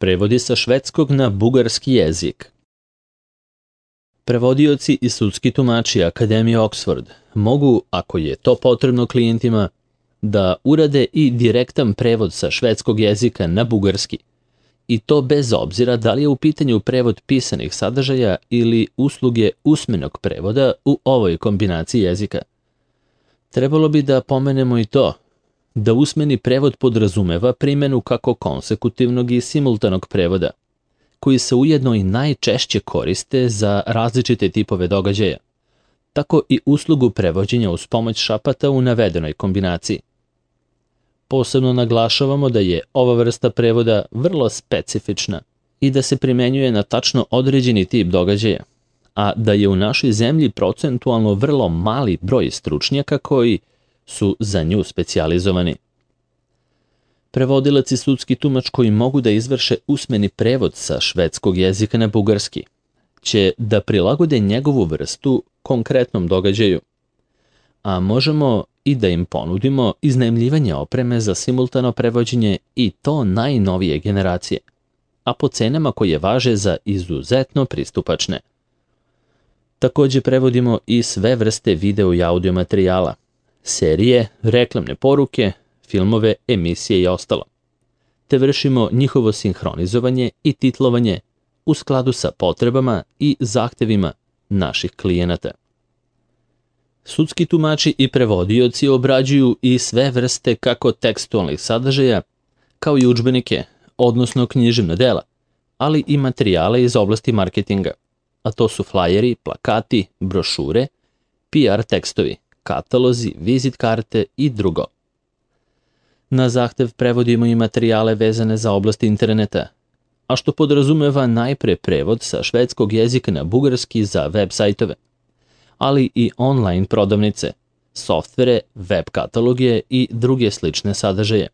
Prevodi sa švedskog na bugarski jezik. Prevodioci i sudski tumači Akademije Oxford mogu, ako je to potrebno klijentima, da urade i direktan prevod sa švedskog jezika na bugarski, i to bez obzira da li je u pitanju prevod pisanih sadržaja ili usluge usmenog prevoda u ovoj kombinaciji jezika. Trebalo bi da pomenemo i to da usmeni prevod podrazumeva primjenu kako konsekutivnog i simultanog prevoda, koji se ujedno i najčešće koriste za različite tipove događaja, tako i uslugu prevođenja uz pomoć šapata u navedenoj kombinaciji. Posebno naglašavamo da je ova vrsta prevoda vrlo specifična i da se primenjuje na tačno određeni tip događaja, a da je u našoj zemlji procentualno vrlo mali broj stručnjaka koji su za nju specijalizovani. Prevodilac i sudski tumač koji mogu da izvrše usmeni prevod sa švedskog jezika na bugarski će da prilagode njegovu vrstu konkretnom događaju, a možemo i da im ponudimo iznajmljivanje opreme za simultano prevođenje i to najnovije generacije, a po cenama koje važe za izuzetno pristupačne. Također prevodimo i sve vrste video i audio materijala, serije, reklamne poruke, filmove, emisije i ostalo, te vršimo njihovo sinhronizovanje i titlovanje u skladu sa potrebama i zahtevima naših klijenata. Sudski tumači i prevodioci obrađuju i sve vrste kako tekstualnih sadržaja, kao i udžbenike, odnosno književna dela, ali i materijale iz oblasti marketinga, a to su flajeri, plakati, brošure, PR tekstovi, katalozi, vizit karte i drugo. Na zahtev prevodimo i materijale vezane za oblast interneta, a što podrazumeva najpre prevod sa švedskog jezika na bugarski za web sajtove, ali i online prodavnice, softvere, web kataloge i druge slične sadržaje.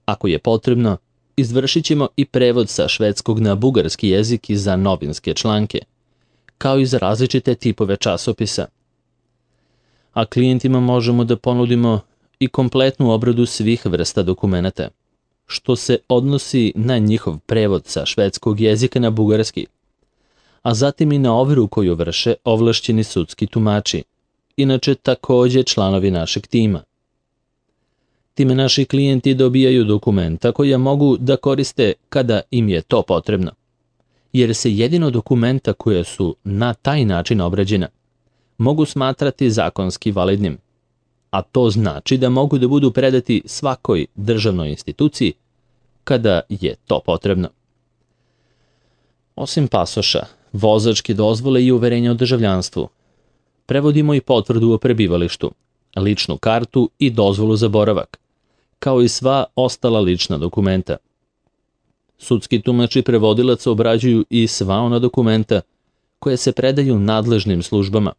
Ako je potrebno, izvršit ćemo i prevod sa švedskog na bugarski jezik i za novinske članke, kao i za različite tipove časopisa. A klijentima možemo da ponudimo i kompletnu obradu svih vrsta dokumenata, što se odnosi na njihov prevod sa švedskog jezika na bugarski, a zatim i na overu koju vrše ovlašćeni sudski tumači, inače također članovi našeg tima. Time naši klijenti dobijaju dokumenta koja mogu da koriste kada im je to potrebno, jer se jedino dokumenta koja su na taj način obrađena mogu smatrati zakonski validnim, a to znači da mogu da budu predati svakoj državnoj instituciji kada je to potrebno. Osim pasoša, vozačke dozvole i uverenja o državljanstvu, prevodimo i potvrdu o prebivalištu, ličnu kartu i dozvolu za boravak, kao i sva ostala lična dokumenta. Sudski tumač i prevodilac obrađuju i sva ona dokumenta koje se predaju nadležnim službama,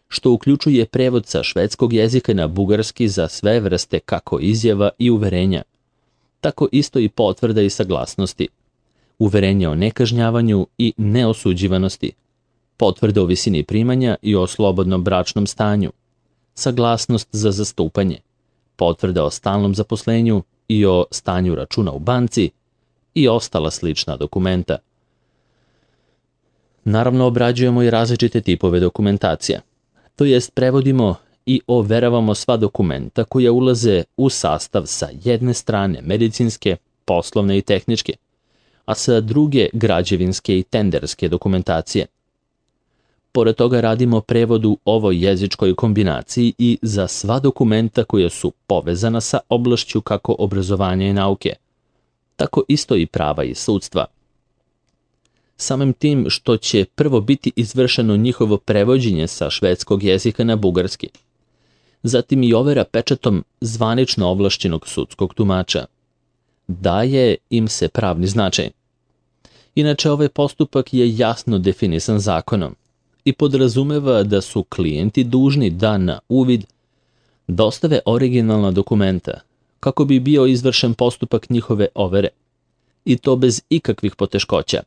što uključuje prevod sa švedskog jezika na bugarski za sve vrste kako izjava i uverenja, tako isto i potvrda i saglasnosti, uverenje o nekažnjavanju i neosuđivanosti, potvrda o visini primanja i o slobodnom bračnom stanju, saglasnost za zastupanje, potvrda o stalnom zaposlenju i o stanju računa u banci i ostala slična dokumenta. Naravno, obrađujemo i različite tipove dokumentacija, to jest prevodimo i overavamo sva dokumenta koja ulaze u sastav sa jedne strane medicinske, poslovne i tehničke, a sa druge građevinske i tenderske dokumentacije. Pored toga radimo prevod u ovoj jezičkoj kombinaciji i za sva dokumenta koja su povezana sa oblašću kako obrazovanja i nauke, tako isto i prava i sudstva. Samim tim što će prvo biti izvršeno njihovo prevođenje sa švedskog jezika na bugarski, zatim i overa pečatom zvanično ovlašćenog sudskog tumača, daje im se pravni značaj. Inače, ovaj postupak je jasno definisan zakonom i podrazumeva da su klijenti dužni da na uvid dostave originalna dokumenta kako bi bio izvršen postupak njihove overe, i to bez ikakvih poteškoća,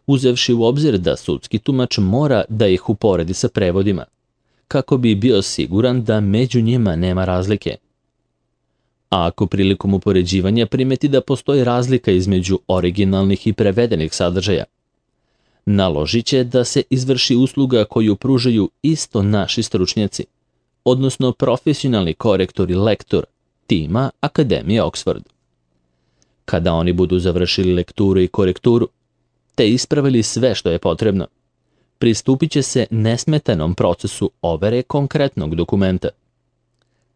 uzevši u obzir da sudski tumač mora da ih uporedi sa prevodima, kako bi bio siguran da među njima nema razlike. A ako prilikom upoređivanja primeti da postoji razlika između originalnih i prevedenih sadržaja, naložit će da se izvrši usluga koju pružaju isto naši stručnjaci, odnosno profesionalni korektor i lektor tima Akademije Oxford. Kada oni budu završili lekturu i korekturu, te ispravili sve što je potrebno, pristupit će se nesmetanom procesu overe konkretnog dokumenta.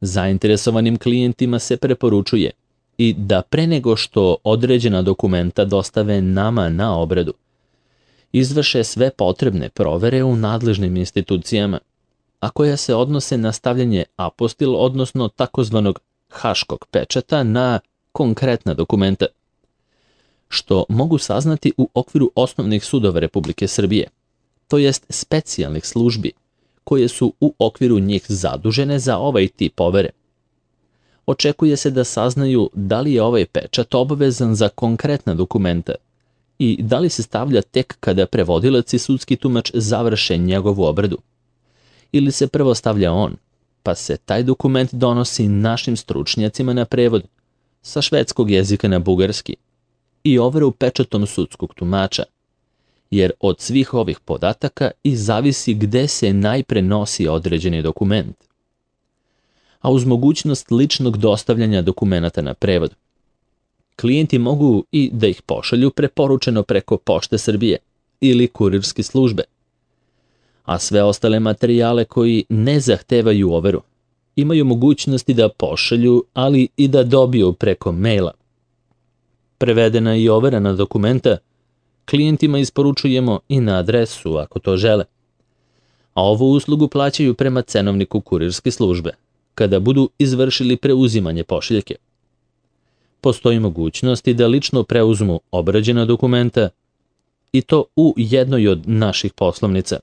Zainteresovanim klijentima se preporučuje i da pre nego što određena dokumenta dostave nama na obradu, izvrše sve potrebne provere u nadležnim institucijama, a koja se odnose na stavljanje apostil, odnosno takozvanog haškog pečata na konkretna dokumenta, što mogu saznati u okviru osnovnih sudova Republike Srbije, to jest specijalnih službi, koje su u okviru njih zadužene za ovaj tip overe. Očekuje se da saznaju da li je ovaj pečat obavezan za konkretna dokumenta i da li se stavlja tek kada prevodilac i sudski tumač završe njegovu obradu. Ili se prvo stavlja on, pa se taj dokument donosi našim stručnjacima na prevod sa švedskog jezika na bugarski i overu pečatom sudskog tumača, jer od svih ovih podataka i zavisi gde se najpre nosi određeni dokument. A uz mogućnost ličnog dostavljanja dokumenata na prevod, klijenti mogu i da ih pošalju preporučeno preko Pošte Srbije ili kurirske službe, a sve ostale materijale koji ne zahtevaju overu imaju mogućnosti da pošalju, ali i da dobiju preko maila. Prevedena i overena dokumenta klijentima isporučujemo i na adresu ako to žele, a ovu uslugu plaćaju prema cenovniku kurirske službe kada budu izvršili preuzimanje pošiljke. Postoji mogućnost i da lično preuzmu obrađena dokumenta i to u jednoj od naših poslovnica.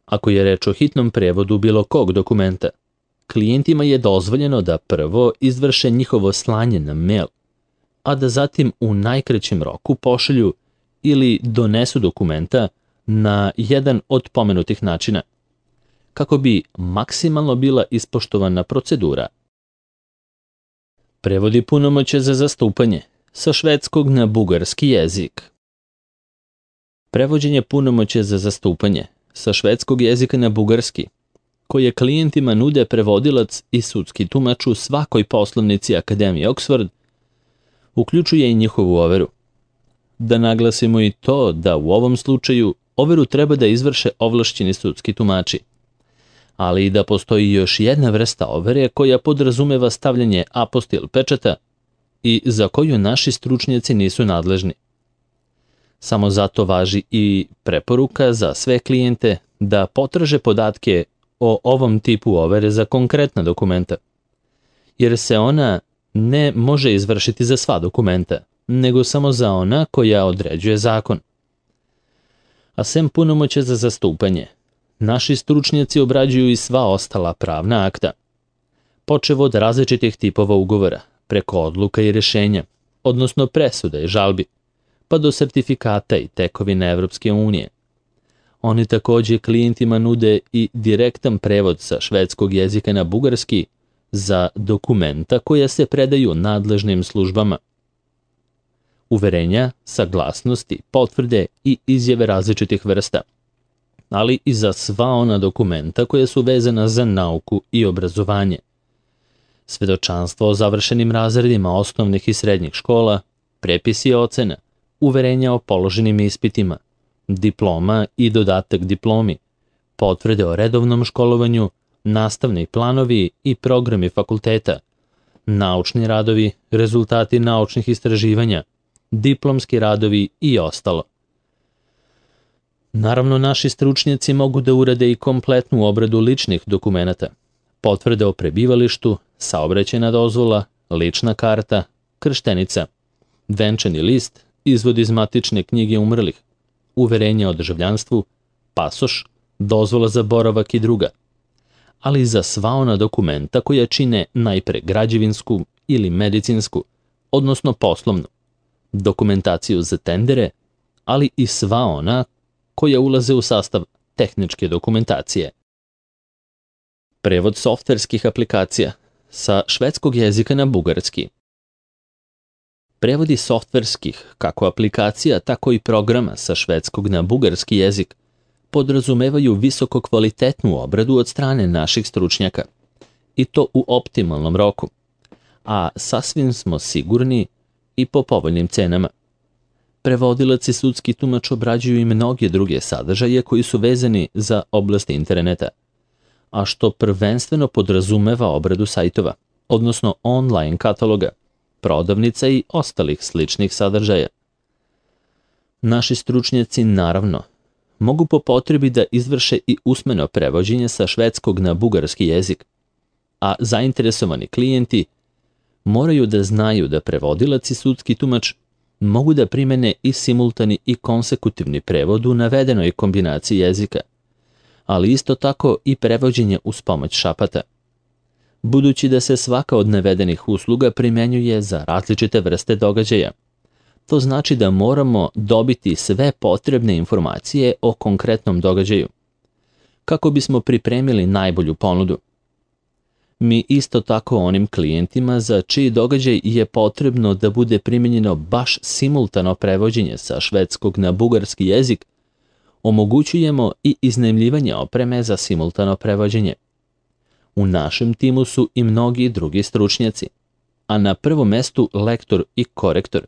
Ako je reč o hitnom prevodu bilo kog dokumenta, klijentima je dozvoljeno da prvo izvrše njihovo slanje na mail, a da zatim u najkraćem roku pošalju ili donesu dokumenta na jedan od pomenutih načina, kako bi maksimalno bila ispoštovana procedura. Prevodi punomoćja za zastupanje sa švedskog na bugarski jezik. Prevođenje punomoćja za zastupanje sa švedskog jezika na bugarski, koje klijentima nude prevodilac i sudski tumač u svakoj poslovnici Akademije Oxford, uključuje i njihovu overu. Da naglasimo i to da u ovom slučaju overu treba da izvrše ovlašćeni sudski tumači, ali i da postoji još jedna vrsta overe koja podrazumeva stavljanje apostil pečata i za koju naši stručnjaci nisu nadležni. Samo zato važi i preporuka za sve klijente da potraže podatke o ovom tipu overe za konkretna dokumenta, jer se ona ne može izvršiti za sva dokumenta, nego samo za ona koja određuje zakon. A sem punomoćja za zastupanje, naši stručnjaci obrađuju i sva ostala pravna akta, počev od različitih tipova ugovora, preko odluka i rješenja, odnosno presuda i žalbi, pa do sertifikata i tekovina Evropske unije. Oni takođe klijentima nude i direktan prevod sa švedskog jezika na bugarski za dokumenta koja se predaju nadležnim službama. Uverenja, saglasnosti, potvrde i izjave različitih vrsta, ali i za sva ona dokumenta koja su vezana za nauku i obrazovanje. Svedočanstvo o završenim razredima osnovnih i srednjih škola, prepisi ocena, uverenja o položenim ispitima, diploma i dodatak diplomi, potvrde o redovnom školovanju, nastavni planovi i programi fakulteta, naučni radovi, rezultati naučnih istraživanja, diplomski radovi i ostalo. Naravno, naši stručnjaci mogu da urade i kompletnu obradu ličnih dokumenata, potvrde o prebivalištu, saobraćajna dozvola, lična karta, krštenica, venčani list, izvod iz matične knjige umrlih, uverenja o državljanstvu, pasoš, dozvola za boravak i druga, ali i za sva ona dokumenta koja čine najpre građevinsku ili medicinsku, odnosno poslovnu, dokumentaciju za tendere, ali i sva ona koja ulaze u sastav tehničke dokumentacije. Prevod softverskih aplikacija sa švedskog jezika na bugarski. Prevodi softverskih, kako aplikacija, tako i programa sa švedskog na bugarski jezik podrazumevaju visoko kvalitetnu obradu od strane naših stručnjaka, i to u optimalnom roku, a sasvim smo sigurni i po povoljnim cenama. Prevodilac i sudski tumač obrađuju i mnoge druge sadržaje koji su vezani za oblast interneta, a što prvenstveno podrazumeva obradu sajtova, odnosno online kataloga, prodavnica i ostalih sličnih sadržaja. Naši stručnjaci, naravno, mogu po potrebi da izvrše i usmeno prevođenje sa švedskog na bugarski jezik, a zainteresovani klijenti moraju da znaju da prevodilac i sudski tumač mogu da primene i simultani i konsekutivni prevod u navedenoj kombinaciji jezika, ali isto tako i prevođenje uz pomoć šapata. Budući da se svaka od navedenih usluga primenjuje za različite vrste događaja, to znači da moramo dobiti sve potrebne informacije o konkretnom događaju, kako bismo pripremili najbolju ponudu. Mi isto tako onim klijentima za čiji događaj je potrebno da bude primenjeno baš simultano prevođenje sa švedskog na bugarski jezik, omogućujemo i iznajmljivanje opreme za simultano prevođenje. U našem timu su i mnogi drugi stručnjaci, a na prvom mestu lektor i korektor,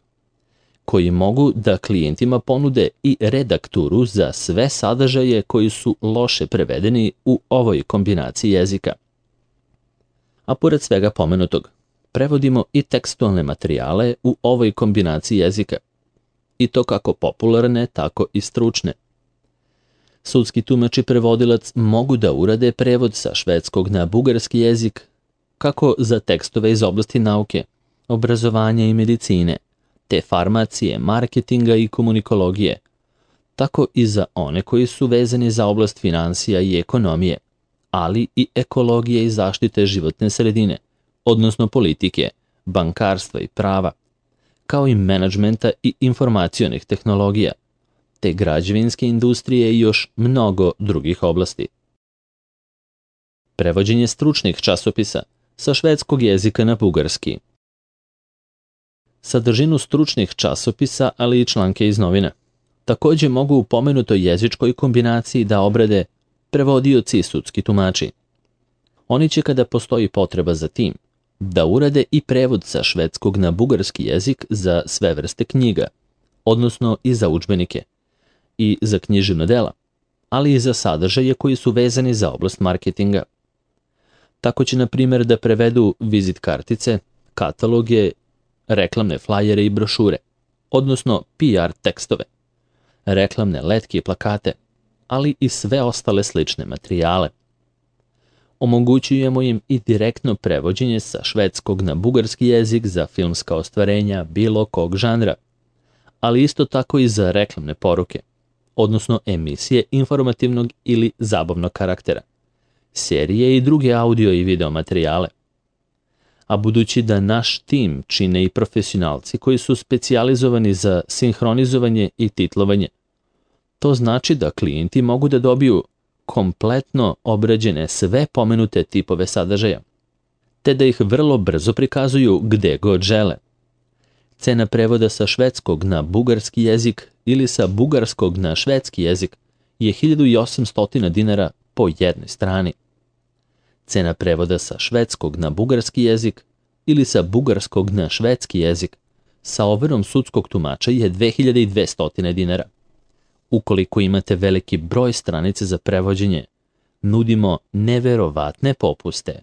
koji mogu da klijentima ponude i redakturu za sve sadržaje koji su loše prevedeni u ovoj kombinaciji jezika. A pored svega pomenutog, prevodimo i tekstualne materijale u ovoj kombinaciji jezika, i to kako popularne, tako i stručne. Sudski tumač i prevodilac mogu da urade prevod sa švedskog na bugarski jezik, kako za tekstove iz oblasti nauke, obrazovanja i medicine, te farmacije, marketinga i komunikologije, tako i za one koji su vezani za oblast finansija i ekonomije, ali i ekologije i zaštite životne sredine, odnosno politike, bankarstva i prava, kao i menadžmenta i informacionih tehnologija, te građevinske industrije i još mnogo drugih oblasti. Prevođenje stručnih časopisa sa švedskog jezika na bugarski. Sadržinu stručnih časopisa, ali i članke iz novina, takođe mogu u pomenutoj jezičkoj kombinaciji da obrade prevodioci i sudski tumači. Oni će, kada postoji potreba za tim, da urade i prevod sa švedskog na bugarski jezik za sve vrste knjiga, odnosno i za udžbenike, i za književna dela, ali i za sadržaje koji su vezani za oblast marketinga. Tako će, na primjer, da prevedu vizit kartice, kataloge, reklamne flajere i brošure, odnosno PR tekstove, reklamne letke i plakate, ali i sve ostale slične materijale. Omogućujemo im i direktno prevođenje sa švedskog na bugarski jezik za filmska ostvarenja bilo kog žanra, ali isto tako i za reklamne poruke, odnosno emisije informativnog ili zabavnog karaktera, serije i druge audio i video materijale. A budući da naš tim čine i profesionalci koji su specijalizovani za sinhronizovanje i titlovanje, to znači da klijenti mogu da dobiju kompletno obrađene sve pomenute tipove sadržaja, te da ih vrlo brzo prikazuju gde god žele. Cena prevoda sa švedskog na bugarski jezik ili sa bugarskog na švedski jezik je 1800 dinara po jednoj strani. Cena prevoda sa švedskog na bugarski jezik ili sa bugarskog na švedski jezik sa overom sudskog tumača je 2200 dinara. Ukoliko imate veliki broj stranice za prevođenje, nudimo neverovatne popuste.